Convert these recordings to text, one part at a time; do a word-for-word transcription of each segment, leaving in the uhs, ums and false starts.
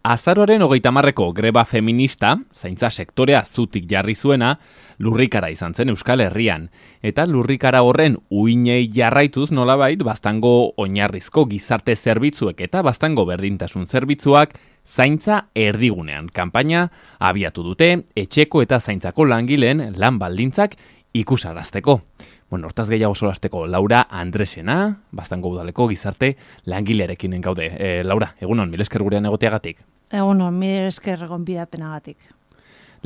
Azaroaren hogeita hamarreko greba feminista, zaintza sektorea zutik jarri zuena, lurrikara izan zen Euskal Herrian. Eta lurrikara horren uinei jarraituz nolabait, baztango oinarrizko gizarte zerbitzuek eta baztango berdintasun zerbitzuak zaintza erdigunean. Kanpaina abiatu dute etxeko eta zaintzako langileen lan baldintzak ikusarazteko. Bueno, hortaz gehiago solasteko Laura Andresena, baztango udaleko gizarte langilearekin gaude. E, Laura, egunon, mil esker gurean egoteagatik. Egunon, mil esker gonbidapenagatik.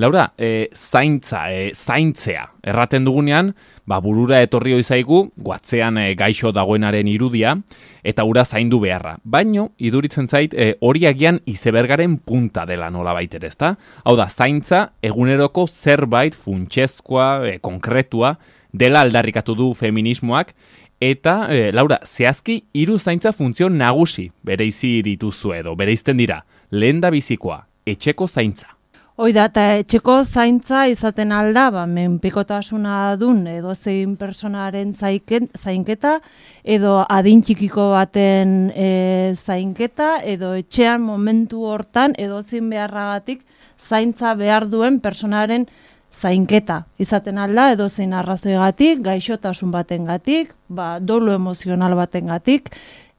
Laura, e, zaintza, e, zaintzea, erraten dugunean, ba, burura etorri oizaigu, guatzean e, gaixo dagoenaren irudia, eta ura zaindu beharra. Baino, iduritzen zait, e, hori agian izebergaren punta dela nolabait ere, ezta? Hau da, zaintza, eguneroko zerbait funtsezkoa, e, konkretua, dela aldarrikatu du feminismoak, eta, e, Laura, zehazki hiru zaintza funtzio nagusi bereizi dituzu edo, bereizten dira, lehen da bizikoa, etxeko zaintza. Hoi da, eta etxeko zaintza izaten alda, ba, menpekotasuna dun edo zein personaren zaiken, zainketa, edo adin txikiko baten e, zainketa, edo etxean momentu hortan edo zein beharragatik zaintza behar duen personaren zainketa izaten alda, edo zein arrazoigatik, gaixotasun batengatik, ba, dolu emozional batengatik,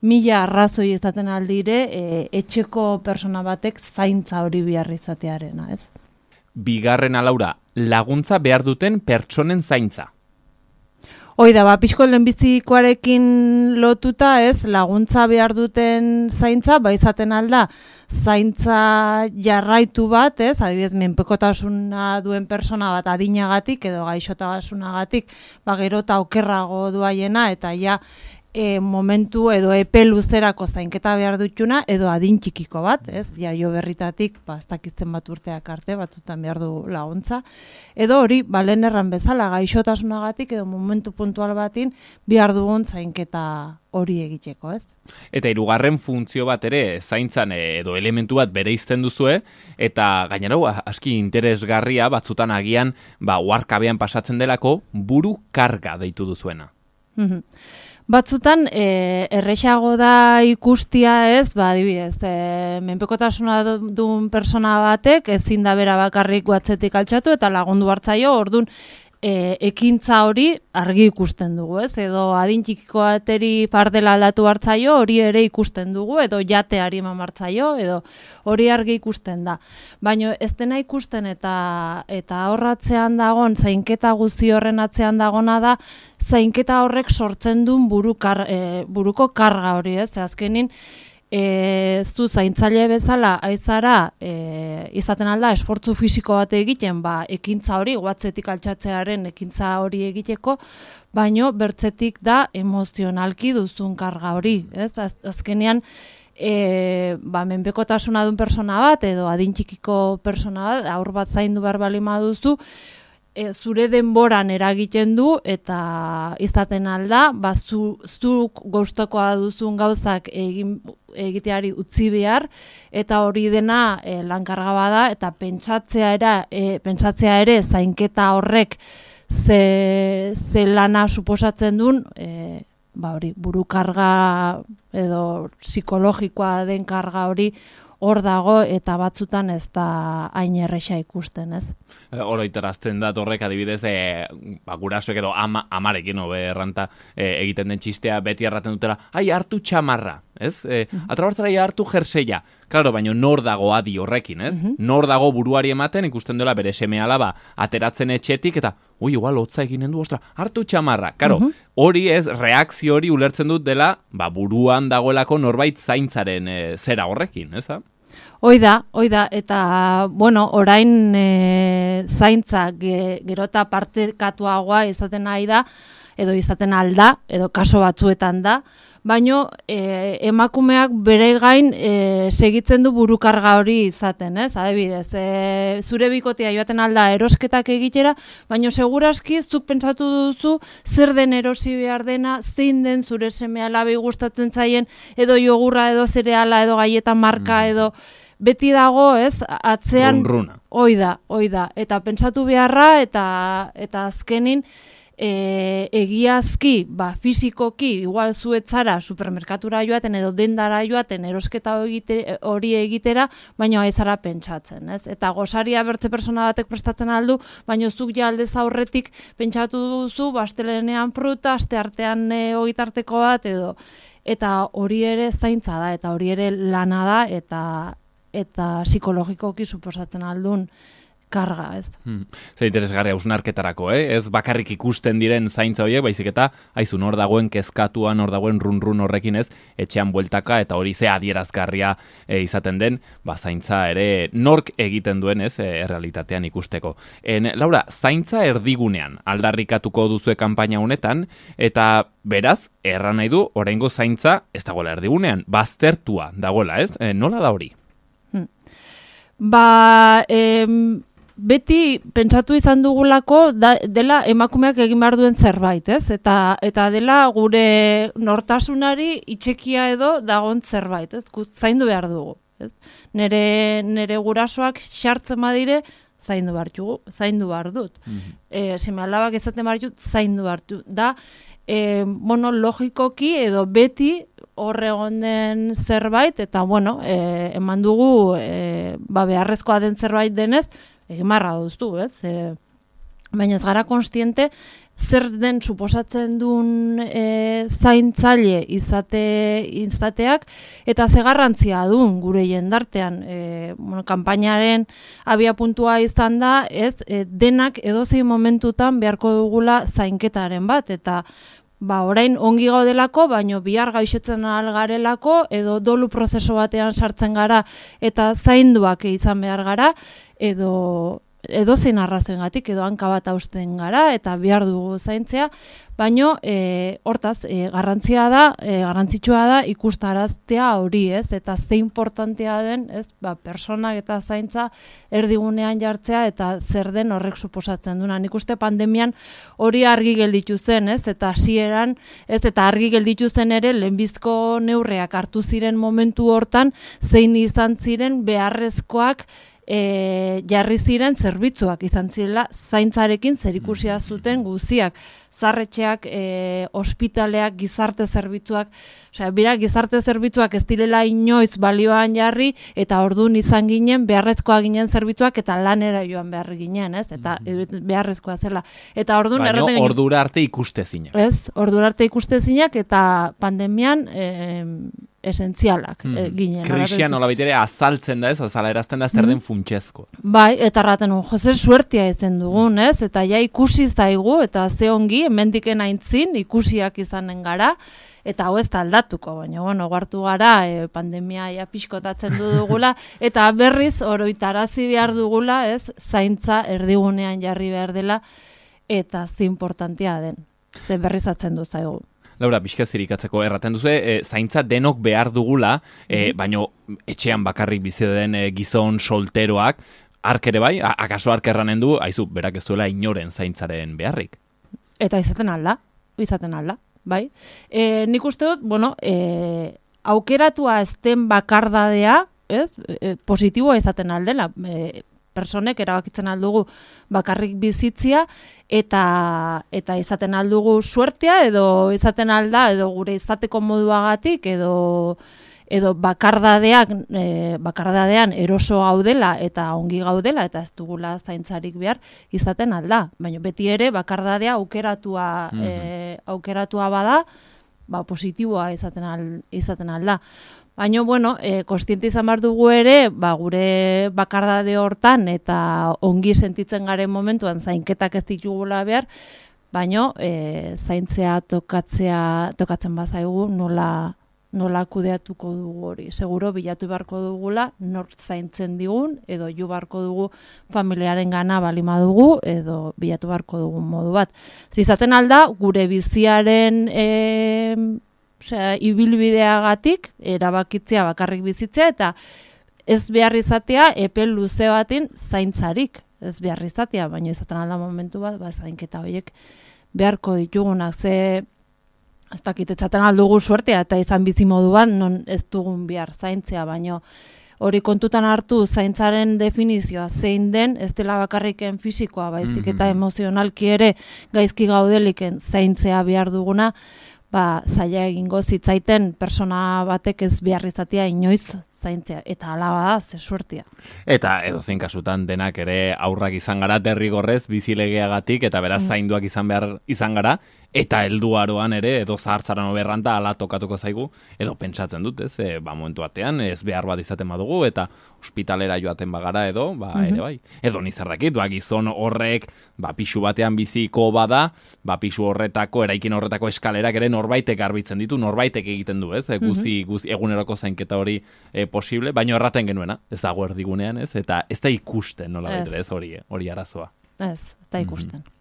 mila arrazoi izaten aldire e, etxeko persona batek zaintza hori behar izatearena, ez? Bigarrena, Laura, laguntza behar duten pertsonen zaintza. Hoi da, ba, pixko lehenbizikoarekin lotuta, ez, laguntza behar duten zaintza, ba, izaten alda, zaintza jarraitu bat, ez, adibidez, menpekotasuna duen persona bat adinagatik edo gaixotasunagatik, ba, gero eta okerrago duaiena, eta ja, e, momentu edo epe luzerako zainketa behar dutuna, edo adin txikiko bat, ez, jaio berritatik, ba, ez dakitzen bat urteak arte, batzutan behar du laguntza, edo hori, ba, lehen erran bezala, gaixotasunagatik edo momentu puntual batin behar dugun zainketa hori egiteko, ez? Eta hirugarren funtzio bat ere zaintzan edo elementu bat bereizten duzue, eta gainera aski interesgarria batzutan agian ba uharkabean pasatzen delako buru karga deitu duzuena. Mm-hmm. Batzutan e, erresago da ikustia, ez, ba, adibidez, e, menpekotasuna duen persona batek ezin da bera bakarrik watzetik altxatu eta lagundu hartzaio, ordun E, ekintza hori argi ikusten dugu, ez? Edo adin txikiko bateri pardela aldatu hartzaio, hori ere ikusten dugu, edo jateari eman hartzaio, edo hori argi ikusten da. Baina ez dena ikusten eta eta horratzean dagon, zainketa guzti horren atzean dagona da, zainketa horrek sortzen duen buru kar, e, buruko karga hori, ez? Azkenin, E, zu zaintzaile bezala aizara e, izaten alda esfortzu fisiko bat egiten, ba, ekintza hori, guatzetik altxatzearen ekintza hori egiteko, baino bertzetik da emozionalki duzun karga hori, ez? Az, azkenean, e, ba, menpekotasuna duen persona bat, edo adin txikiko persona bat, aur bat zaindu behar balima duzu, E, zure denboran eragiten du eta izaten alda, ba, zu, zuk gustukoa duzun gauzak egin, egiteari utzi behar, eta hori dena e, lankarga bada, eta pentsatzea, era, e, pentsatzea ere zainketa horrek ze, ze lana suposatzen duen, e, ba, hori, buru karga edo psikologikoa den karga hori hor dago eta batzutan ez da hain erresa ikusten, ez? Oroitarazten da horrek adibidez, e, ba, gurasoek edo ama, amarekin hobe erranta e, egiten den txistea beti erraten dutela, ai, hartu txamarra, ez? E, uh-huh. Atrabartzara hartu jerseia. Claro, baina nor dago adi horrekin, ez? Uh-huh. Nor dago buruari ematen ikusten dela bere seme alaba ateratzen etxetik eta ui, igual hotza eginen du, ostra, hartu txamarra. Claro, uh-huh. Hori ez, reakzio hori ulertzen dut dela, ba, buruan dagoelako norbait zaintzaren e, zera horrekin, ez? Hoi da, hoi da, eta, bueno, orain e, zaintza ge, gerota partekatuagoa izaten nahi da, edo izaten alda, edo kaso batzuetan da, baino e, emakumeak bere gain e, segitzen du burukarga hori izaten, ez? Adibidez, e, zure bikotea joaten alda erosketak egitera, baino seguraski zuk pentsatu duzu zer den erosi behar dena, zein den zure seme alabei gustatzen zaien, edo jogurra, edo zereala, edo gaietan marka, mm. edo beti dago, ez? Atzean, Run, runa. Hoi da, hoi da, eta pentsatu beharra, eta, eta azkenin, E, egiazki, ba, fizikoki, igual zuetzara supermerkatura joaten edo dendara joaten erosketa hori egitera, baina aizara pentsatzen, ez? Eta gosaria bertze persona batek prestatzen aldu, baina zuk ja aldez aurretik pentsatu duzu, astelehenean fruta, asteartean e, ogitarteko bat, edo eta hori ere zaintza da, eta hori ere lana da, eta eta psikologikoki suposatzen aldun karga, ez. Hmm. Zer interesgarria hausnarketarako, eh? Ez bakarrik ikusten diren zaintza horiek, baizik eta haizu nor dagoen kezkatuan, nor dagoen run-run horrekin, ez, etxean bueltaka eta hori ze adierazgarria e, izaten den, ba zaintza ere nork egiten duen, ez, e, errealitatean ikusteko. En, Laura, zaintza erdigunean aldarrikatuko duzue kanpaina honetan, eta beraz, erran nahi du, oraingo zaintza ez dagoela erdigunean, baztertua dagoela, ez? E, nola da hori? Hmm. Ba, em... beti pentsatu izan dugulako da, dela emakumeak egin behar duen zerbait, ez? Eta, eta dela gure nortasunari itxekia edo dagoen zerbait, ez? Zaindu behar dugu, ez? Nere, nere gurasoak xartzen badire, zaindu behar dugu, zaindu behar dut. Mm-hmm. E, seme alabak ezaten behar dut, zaindu behar dut. Da, e, bueno, logikoki edo beti horre egon den zerbait, eta, bueno, e, eman dugu, e, ba, beharrezkoa den zerbait denez, egin marra duztu, ez? E, baina ez gara konstiente, zer den suposatzen duen e, zaintzaile izate, izateak, eta ze garrantzia duen gure jendartean. E, bueno, kanpainaren abia puntua izan da, ez? E, denak edozein momentutan beharko dugula zainketaren bat, eta ba, orain ongi gaudelako, baino bihar gaixotzen algarelako, edo dolu prozeso batean sartzen gara, eta zainduak izan behar gara, edo edozein arrazoengatik, edo hanka bat hausten gara, eta behar dugu zaintzea, baino e, hortaz, e, garrantzia da, e, garrantzitsua da ikustaraztea hori, ez? Eta ze importantea den, ez? Ba, personak eta zaintza erdigunean jartzea, eta zer den horrek suposatzen duna. Nik uste pandemian hori argi gelditu zen, ez? Eta hasieran, ez? Eta argi gelditu zen ere, lehenbizko neurriak hartu ziren momentu hortan, zein izan ziren beharrezkoak E, jarri ziren zerbitzuak izan zirela zaintzarekin zerikusia zuten guztiak. Zarretxeak, e, ospitaleak, gizarte zerbitzuak, osea, bira gizarte zerbitzuak ez direla inoiz balioan jarri, eta ordun izan ginen beharrezkoa ginen zerbitzuak, eta lanera joan behar ginen, ez? Eta beharrezkoa zela. Eta ordun baina ordura arte ikustezinak. Ez, ordura arte ikustezinak, eta pandemian e, esentzialak hmm. e, ginen. Krisian nola baitere azaltzen da, ez? Azala erazten da zer den funtsezko. Bai, eta raten un, jose suertia ezen dugun, ez? Eta ja ikusi zaigu, eta ze ongi, hemendiken aintzin, ikusiak izanen gara, eta hau ez da aldatuko, baina, bueno, gartu gara, e, pandemia ja pixkotatzen du dugula, eta berriz oroitarazi behar dugula, ez? Zaintza erdigunean jarri behar dela, eta ze importantea den, ze berrizatzen du zaigu. Laura, bizkazirik atzeko erraten duzu, e, zaintza denok behar dugula, e, baino etxean bakarrik bizi den e, gizon solteroak, ark ere bai, a, akaso ark erranen du, aizu, berak ez duela inoren zaintzaren beharrik. Eta izaten alda, izaten alda, bai. E, nik uste dut, bueno, e, aukeratua ezten bakardadea, ez, e, positiboa izaten aldela, e, personek erabakitzen aldugu bakarrik bizitzia, eta eta izaten aldugu suertea, edo izaten alda, edo gure izateko moduagatik, edo edo bakardadeak, e, bakardadean eroso gaudela eta ongi gaudela, eta ez dugula zaintzarik behar izaten alda. Baina beti ere bakardadea aukeratua, mm-hmm. e, aukeratua bada, ba, positiboa izaten, al, izaten alda. Baina, bueno, e, konstiente izan behar dugu ere, ba, gure bakardade hortan eta ongi sentitzen garen momentuan zainketak ez ditugula behar, baina e, zaintzea tokatzea, tokatzen bazaigu nola, nola kudeatuko dugu hori. Seguro bilatu beharko dugula, nort zaintzen digun, edo jo beharko dugu familiaren gana balima dugu, edo bilatu beharko dugun modu bat. Zizaten alda, gure biziaren E, Osea, ibilbideagatik erabakitzea bakarrik bizitzea, eta ez behar izatea epe luze batin zaintzarik. Ez behar izatea, baina izaten alda momentu bat, ba, zainketa horiek beharko ditugunak. Ze, ez dakit, etzaten aldugu suertea, eta izan bizi modu bat, non ez dugun behar zaintzea, baina hori kontutan hartu zaintzaren definizioa zein den, ez dela bakarriken fisikoa, baizik eta emozionalki ere gaizki gaudeliken zaintzea behar duguna, ba, zaila egingo zitzaiten persona batek ez behar izatea inoiz zaintzea, eta alaba da, ze suertia. Eta edozein kasutan denak ere aurrak izan gara derrigorrez bizilegeagatik, eta beraz zainduak izan behar izan gara, eta helduaroan ere, edo zahartzaran oberranta ala tokatuko zaigu, edo pentsatzen dut, ez, e, ba, momentu batean, ez behar bat izaten badugu, eta ospitalera joaten bagara edo, ba, mm-hmm. ere bai. Edo nizardakit, ba, gizon horrek, ba, pixu batean biziko bada, ba, pixu horretako, eraikin horretako eskalerak ere norbaitek garbitzen ditu, norbaitek egiten du, ez, e, guzi, guzi, eguneroko zainketa hori e, posible, baino erraten genuena, ez dago erdigunean, ez, eta ez da ikusten, nola baitere, ez, hori, hori arazoa. Ez, ez da ikusten. Mm-hmm.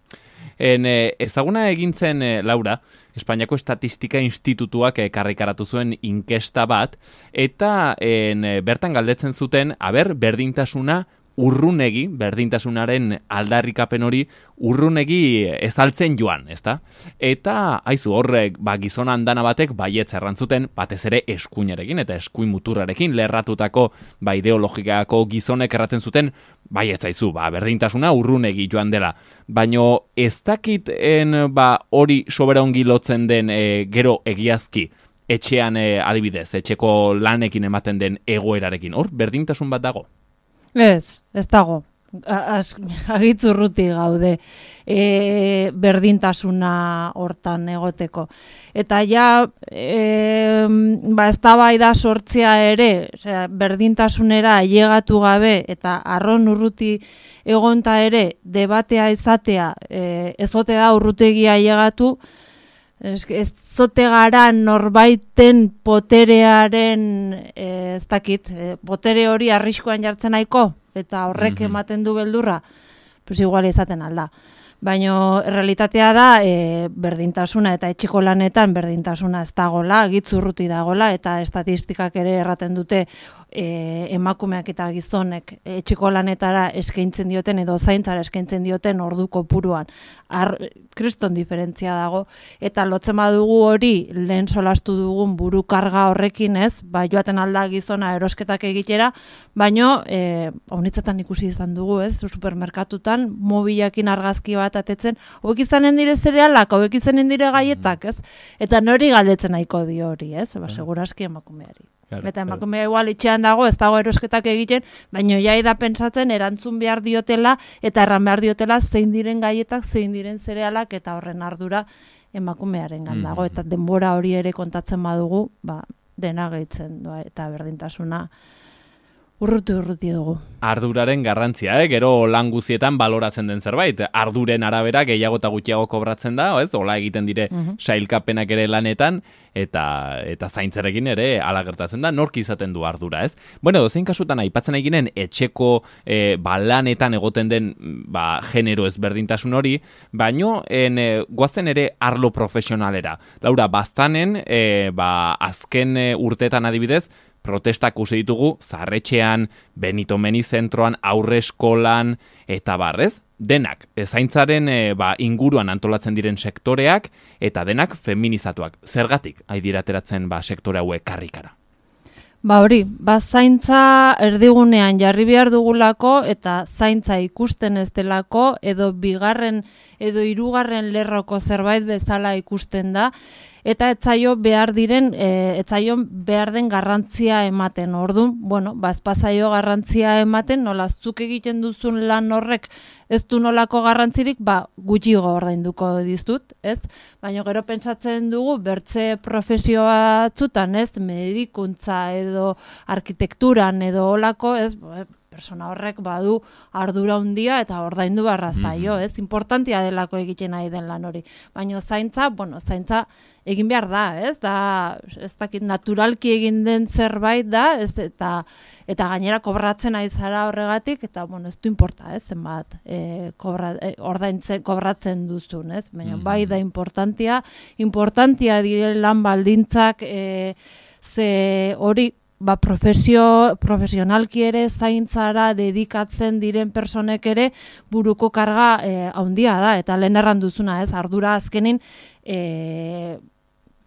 En, eh, ezaguna egintzen, eh, Laura, Espainiako Estatistika Institutuak karrikaratu zuen inkesta bat, eta en, eh, bertan galdetzen zuten, aber, berdintasuna urrunegi, berdintasunaren aldarrikapen hori urrunegi ezaltzen joan, ezta? Eta, haizu, horrek, ba, gizona andana batek baietz errantzuten, batez ere eskuinarekin eta eskuin muturrarekin lerratutako ba, ideologikako gizonek erraten zuten, baietz haizu, ba, berdintasuna urrunegi joan dela. Baino ez dakiten ba, hori soberongi lotzen den e, gero egiazki, etxean e, adibidez, etxeko lanekin ematen den egoerarekin, hor, berdintasun bat dago? Ez, ez dago. Agitzurruti gaude e, berdintasuna hortan egoteko. Eta ja, e, ba, ez da bai da sortzea ere, osea, berdintasunera ailegatu gabe eta arron urruti egonta ere debatea izatea, e, ez zote da urrutegia ailegatu, ez, ez zote gara norbaiten poterearen, e, ez dakit, e, potere hori arriskoan jartzen nahiko, eta horrek mm-hmm. ematen du beldurra, pues igual izaten alda. Baina realitatea da e, berdintasuna eta etxeko lanetan berdintasuna ez dagola, gitzurruti dagola, eta estatistikak ere erraten dute e, emakumeak eta gizonek etxeko lanetara eskaintzen dioten edo zaintzara eskaintzen dioten ordu kopuruan. Ar, kriston diferentzia dago, eta lotzen badugu hori lehen solastu dugun buru karga horrekin ez, ba, joaten alda gizona erosketak egitera, baino e, honitzetan ikusi izan dugu ez, supermerkatutan mobilakin argazki bat atetzen, hauek izanen dire zerealak, hauek izanen dire gaietak ez, eta nori galdetzen nahiko dio hori ez, ba, seguraski emakumeari. Claro, eta emakumea claro. Igual itxean dago, ez dago erosketak egiten, baina jai da pentsatzen erantzun behar diotela eta erran behar diotela zein diren gaietak, zein diren zerealak eta horren ardura emakumearen dago. Mm. Eta denbora hori ere kontatzen badugu, ba, dena gehitzen doa, eta berdintasuna urruti urruti dugu. Arduraren garrantzia, eh? Gero lan guzietan baloratzen den zerbait. Arduren arabera gehiago eta gutxiago kobratzen da, ez? Ola egiten dire uh-huh. sailkapenak ere lanetan, eta eta zaintzarekin ere hala gertatzen da, nork izaten du ardura, ez? Bueno, dozein kasutan aipatzen eginen etxeko e, ba, lanetan egoten den ba, genero ezberdintasun hori, baino en, e, goazen ere arlo profesionalera. Laura, baztanen, e, ba, azken e, urteetan adibidez, protestak ikusi ditugu, Zaharretxean, Benito Meni zentroan, aurre eskolan, eta barrez, denak, zaintzaren e, ba, inguruan antolatzen diren sektoreak, eta denak feminizatuak. Zergatik, haidira ateratzen ba, sektore hauek karrikara? Ba hori, ba zaintza erdigunean jarri behar dugulako, eta zaintza ikusten ez delako, edo bigarren, edo hirugarren lerroko zerbait bezala ikusten da, eta etzaio behar diren, e, etzaio behar den garrantzia ematen. Orduan, bueno, ba ezpazaio garrantzia ematen, nola zuk egiten duzun lan horrek ez du nolako garrantzirik, ba gutxigo ordainduko dizut, ez? Baina gero pentsatzen dugu bertze profesio batzutan, ez? Medikuntza edo arkitekturan edo holako, ez? Persona horrek badu ardura handia eta ordaindu barra zaio, mm-hmm. ez? Importantia delako egiten nahi den lan hori. Baina zaintza, bueno, zaintza egin behar da, ez? Da, ez dakit naturalki egin den zerbait da, ez? Eta eta gainera kobratzen ari zara horregatik, eta bueno, ez du importa, ez? Zenbat e, kobra, e, ordaintzen kobratzen duzun, ez? Baina mm-hmm. bai da importantia, importantia dire lan baldintzak e, ze hori ba, profesio, profesionalki ere zaintzara dedikatzen diren personek ere buruko karga eh, handia da, eta lehen erran duzuna, ez, ardura azkenin eh,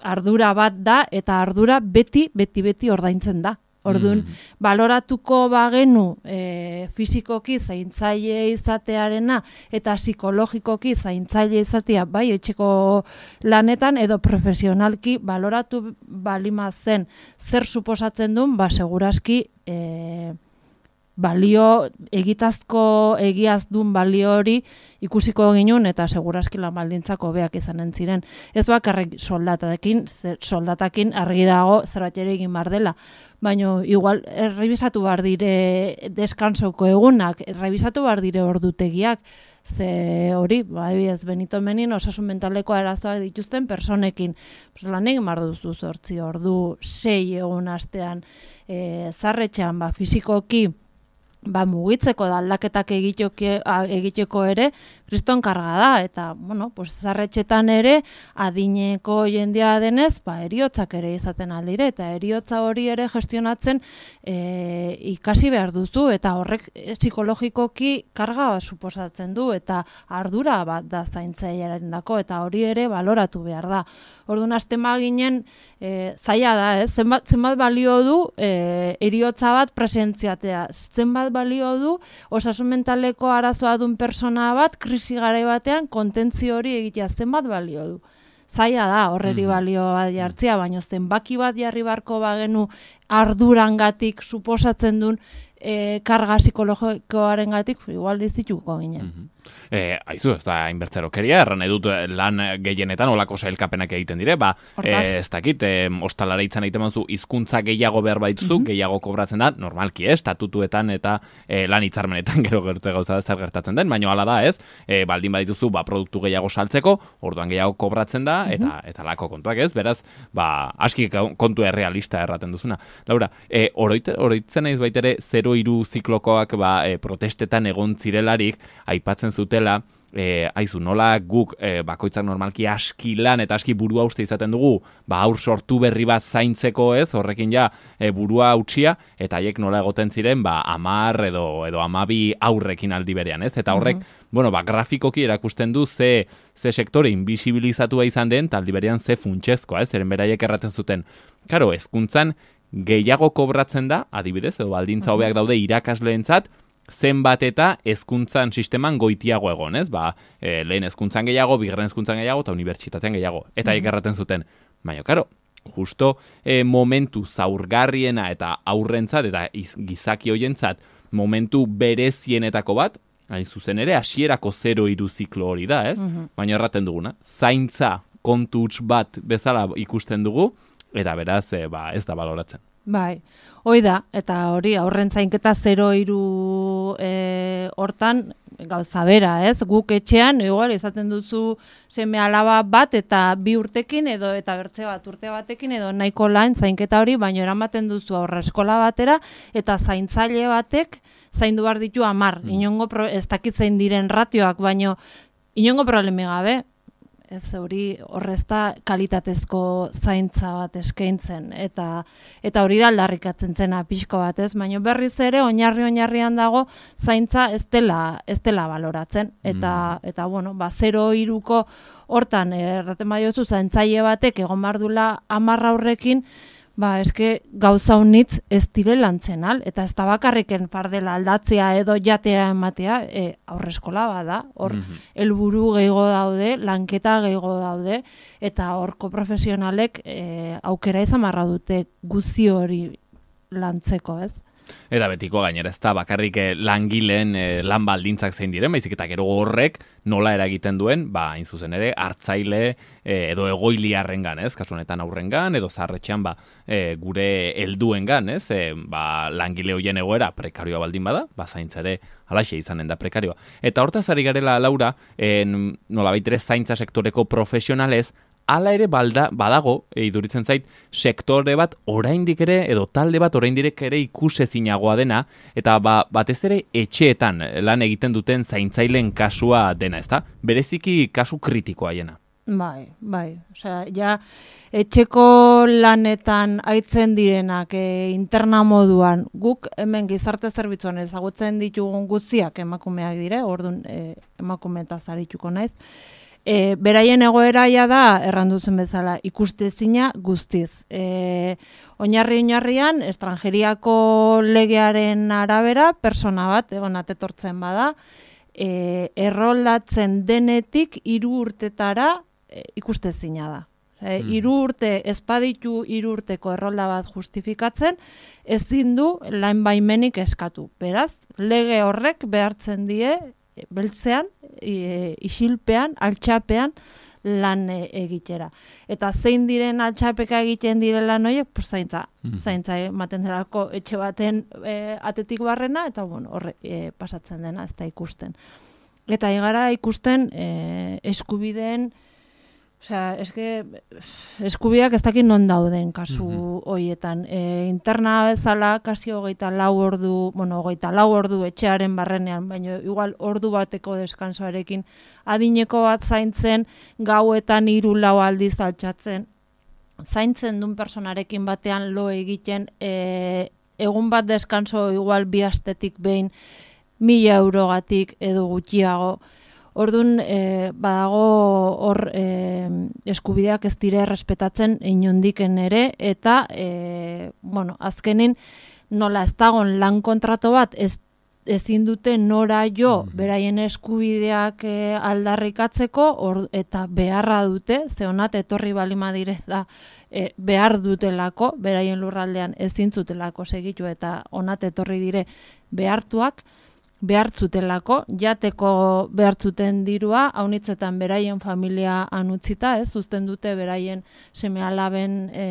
ardura bat da, eta ardura beti, beti, beti ordaintzen da. Orduan, Mm. baloratuko bagenu e, fizikoki zaintzaile izatearena eta psikologikoki zaintzaile izatea bai etxeko lanetan edo profesionalki baloratu balima zen zer suposatzen duen, ba segurazki e, balio, egitazko egiaz duen balio hori ikusiko ginun eta segurazki lan baldintzako beak izanen ziren. Ez bakarrik soldatakin, soldatakin argi dago zerbait ere egin bar dela, baina igual errebisatu bar dire deskansoko egunak, errebisatu bar dire ordutegiak, ze hori, ba, ez Benito Menin osasun mentaleko arazoak dituzten personekin. Pues, lan egin bar duzu zortzi ordu, sei egun astean, e, zarretxean, ba, fizikoki, ba, mugitzeko da aldaketak egiteko ere, kriston karga da, eta, bueno, pues, zarretxetan ere, adineko jendea denez, ba, eriotzak ere izaten aldire, eta eriotza hori ere gestionatzen e, ikasi behar duzu, eta horrek e, psikologikoki karga bat suposatzen du, eta ardura bat da zaintzailearen dako, eta hori ere baloratu behar da. Orduan, azten baginen, e, zaila da, eh? zenbat, zenbat balio du e, eriotza bat presentziatea, zenbat balio du osasun mentaleko arazoa duen persona bat krisi garai batean kontentzio hori egitea, zenbat balio du. Zaila da horreri balio bat jartzea, baina zenbaki bat jarri barko bagenu ardurangatik suposatzen duen e, karga psikologikoaren gatik, igual dizituko ginen. Mm-hmm. E, aizu, ez da inbertzerokeria, erran edut lan gehienetan olako sailkapenak egiten dire, ba, e, ez dakit, e, ostalara itzan egiten manzu, hizkuntza gehiago behar baituzu, mm-hmm. gehiago kobratzen da, normalki ez, estatutuetan eta e, lan hitzarmenetan gero gertu gauza da zer gertatzen den, baina hala da ez, e, baldin badituzu, ba, produktu gehiago saltzeko, orduan gehiago kobratzen da, eta mm-hmm. eta lako kontuak ez, beraz, ba, aski kontu errealista erraten duzuna. Laura, e, oroit, oroitzen naiz baitere, zero hiru ziklokoak ba, e, protestetan egon zirelarik, aipatzen zutela, e, aizu, nola guk e, bakoitzak normalki aski lan eta aski burua uste izaten dugu, ba aur sortu berri bat zaintzeko ez, horrekin ja e, burua utxia, eta haiek nola egoten ziren, ba amar edo, edo amabi aurrekin aldi berean ez, eta horrek, mm-hmm. bueno, ba grafikoki erakusten du ze, ze sektore invisibilizatua izan den, taldi berean ze funtsezkoa ez, eren beraiek erraten zuten. Karo, hezkuntzan gehiago kobratzen da, adibidez, edo baldintza hobeak daude irakasleentzat, zenbat eta hezkuntzan sisteman goitiago egon, ez? Ba, e, lehen hezkuntzan gehiago, bigarren hezkuntzan gehiago, eta unibertsitatean gehiago. Eta mm-hmm. erraten zuten. Baina, karo, justo e, momentu zaurgarriena eta aurrentzat, eta iz, gizaki hoientzat, momentu berezienetako bat, hain zuzen ere, hasierako zero hiru ziklo hori da, ez? Mm-hmm. Baina erraten duguna, zaintza kontu huts bat bezala ikusten dugu, eta beraz, e, ba, ez da baloratzen. Bai, hoi da, eta hori aurren zainketa zero hiru e, hortan gauza bera, ez? Guk etxean, igual, izaten duzu seme alaba bat eta bi urtekin edo eta bertze bat urte batekin edo nahiko lan zainketa hori, baina eramaten duzu aurre eskola batera eta zaintzaile batek zaindu behar ditu amar. Mm. Inongo pro, ez dakitzein diren ratioak, baino inongo problemi gabe. Ez hori horrezta kalitatezko zaintza bat eskaintzen eta eta hori da aldarrikatzen zena pixko bat, ez? Baina berriz ere oinarri oinarrian dago zaintza ez dela ez dela baloratzen eta mm. eta bueno, ba zero hiruko hortan erraten badiozu zaintzaile batek egon bardula hamar aurrekin, ba, eske gauza unitz ez dire lantzen al, eta ez da bakarriken fardela aldatzea edo jatea ematea, e, aurreskola bada, hor mm-hmm. helburu gehiago daude, lanketa gehiago daude, eta horko profesionalek e, aukera izan marra dute guzi hori lantzeko, ez? Eta betiko gainera ez da bakarrik langileen eh, lan baldintzak zein diren, baizik eta gero horrek nola eragiten duen, ba, hain zuzen ere, hartzaile eh, edo egoiliarrengan, ez? Kasu honetan aurrengan edo zaharretxean ba, eh, gure helduengan, ez? Eh, ba, langile hoien egoera prekarioa baldin bada, ba, zaintza ere halaxe izanen da prekarioa. Eta hortaz ari garela, Laura, en, nolabait ere zaintza sektoreko profesionalez, hala ere balda, badago, iduritzen zait, sektore bat oraindik ere, edo talde bat oraindik ere ikusezinagoa dena, eta ba, batez ere etxeetan lan egiten duten zaintzaileen kasua dena, ezta? Bereziki kasu kritikoa hiena. Bai, bai. Osea, ja, etxeko lanetan aitzen direnak e, interna moduan, guk hemen gizarte zerbitzuan ezagutzen ditugun guztiak emakumeak dire, orduan e, emakumeetaz arituko naiz, E, beraien egoeraia da, erranduzen bezala, ikustezina guztiz. E, oinarri oinarrian, estrangeriako legearen arabera, persona bat, egon atetortzen bada, e, erroldatzen denetik hiru urtetara e, ikustezina da. E, Mm. hiru urte, ezpaditu hiru urteko errolda bat justifikatzen, ezin du lan baimenik eskatu. Beraz, lege horrek behartzen die, beltzean, e, isilpean, altxapean, lan e, egitera. Eta zein diren altxapeka egiten direla noiek, pues zaintza, Mhm. zaintza ematen delako etxe baten e, atetik barrena, eta bueno, horre e, pasatzen dena, ez da ikusten. Eta igara ikusten e, eskubideen, osea, eske eskubideak ez dakit non dauden kasu Mhm. hoietan. E, interna bezala kasi hogeita lau ordu, bueno, hogeita lau ordu etxearen barrenean, baina igual ordu bateko deskansoarekin adineko bat zaintzen, gauetan hiru lau aldiz altxatzen, zaintzen duen personarekin batean lo egiten, e, egun bat deskanso igual bi astetik behin mila eurogatik edo gutxiago. Orduan, e, badago hor e, eskubideak ez dire errespetatzen inondiken ere, eta, e, bueno, azkenin, nola ez dagon lan kontrato bat, ez, ezin dute nora jo Mhm. beraien eskubideak e, aldarrikatzeko, or, eta beharra dute, ze honat etorri balima direz da, e, behar dutelako, beraien lurraldean ezin zutelako segitu, eta honat etorri dire behartuak, behartzutelako, jateko behartzuten dirua, haunitzetan beraien familia anutzita, ez, uzten dute beraien seme-alaben e,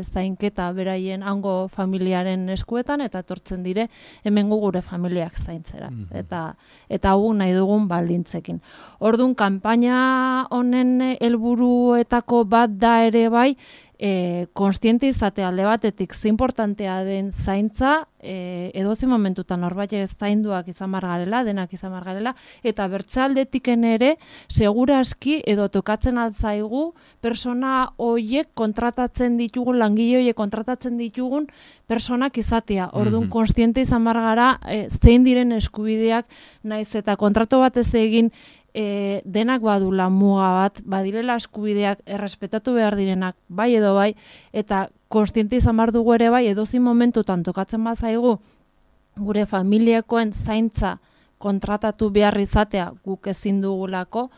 zainketa beraien hango familiaren eskuetan, eta etortzen dire hemengo gure familiak zaintzera. Mhm. Eta eta hau nahi dugun baldintzekin. Orduan, kanpaina honen helburuetako bat da ere bai, E, konstiente izate alde batetik ze importantea den zaintza, e, edozi momentutan norbait ez zainduak izan margarela, denak izan margarela, eta bertzaldetiken ere, seguraski edo tokatzen altzaigu, persona hoiek kontratatzen ditugun, langile hoiek kontratatzen ditugun personak izatea. Orduan, Mhm. konstiente izan margara, e, zein diren eskubideak, naiz eta kontrato bat ez egin, E, denak badula muga bat, badirela eskubideak errespetatu behar direnak, bai edo bai, eta konstiente izan behar dugu ere bai, edozin momentutan tokatzen bazaigu, gure familiakoen zaintza kontratatu behar izatea guk ezin dugulako,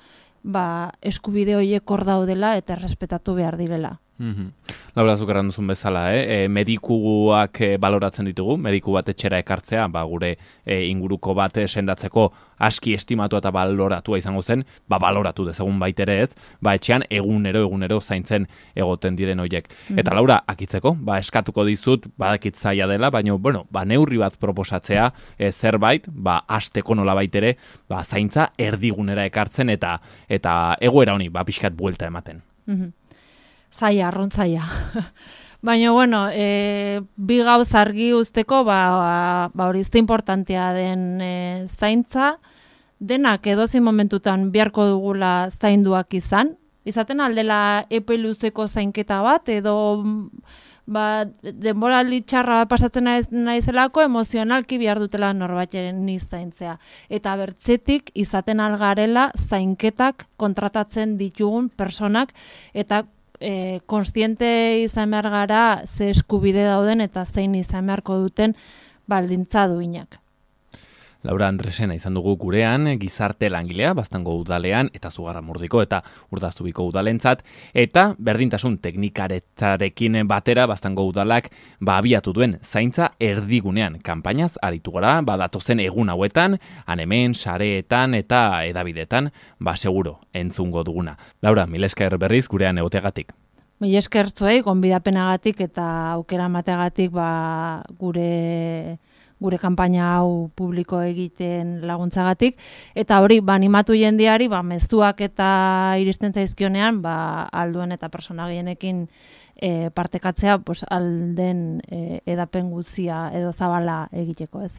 ba, eskubide horiek hor daudela eta errespetatu behar direla. Mhm. Laura, zuk erran duzun bezala, eh? E, medikuak e, baloratzen ditugu, mediku bat etxera ekartzea, ba, gure e, inguruko bat e, sendatzeko aski estimatu eta baloratua izango zen, ba, baloratu dezagun baitere ez, ba, etxean egunero, egunero zaintzen egoten diren hoiek. Mhm. Eta Laura, akitzeko, ba, eskatuko dizut, badakit zaila dela, baina, bueno, ba, neurri bat proposatzea, e, zerbait, ba, asteko nola baitere, ba, zaintza erdigunera ekartzen eta eta egoera honi, ba, pixkat buelta ematen. Mhm. Zaila, arrontzaia. Baina, bueno, e, bi gauz argi uzteko, ba, ba hori izte importantea den e, zaintza, denak edozein momentutan beharko dugula zainduak izan, izaten aldela epe luzeko zainketa bat, edo ba, denboraldi txarra pasatzen naiz, naizelako emozionalki behar dutela norbaiteren ni zaintzea. Eta bertzetik izaten algarela zainketak kontratatzen ditugun personak, eta E, konstiente izan behar gara ze eskubide dauden eta zein izan beharko duten baldintza duinak. Laura Andresena izan dugu gurean, gizarte langilea, Baztango udalean, eta Zugarramurdiko eta Urdazubiko udalentzat, eta berdintasun teknikaretzarekin batera Baztango udalak ba abiatu duen zaintza erdigunean kanpainaz aritu gara, badatozen egun hauetan, han hemen, sareetan eta edabidetan, ba seguro entzungo duguna. Laura, mila esker berriz gurean egoteagatik. Mila esker zuei, gonbidapenagatik eta aukera emateagatik ba gure gure kanpaina hau publiko egiten laguntzagatik, eta hori, ba, animatu jendeari, ba, mezuak eta iristen zaizkionean, ba, alduen eta persona gehienekin e, partekatzea, pues, alden e, edapen guzia edo zabala egiteko ez.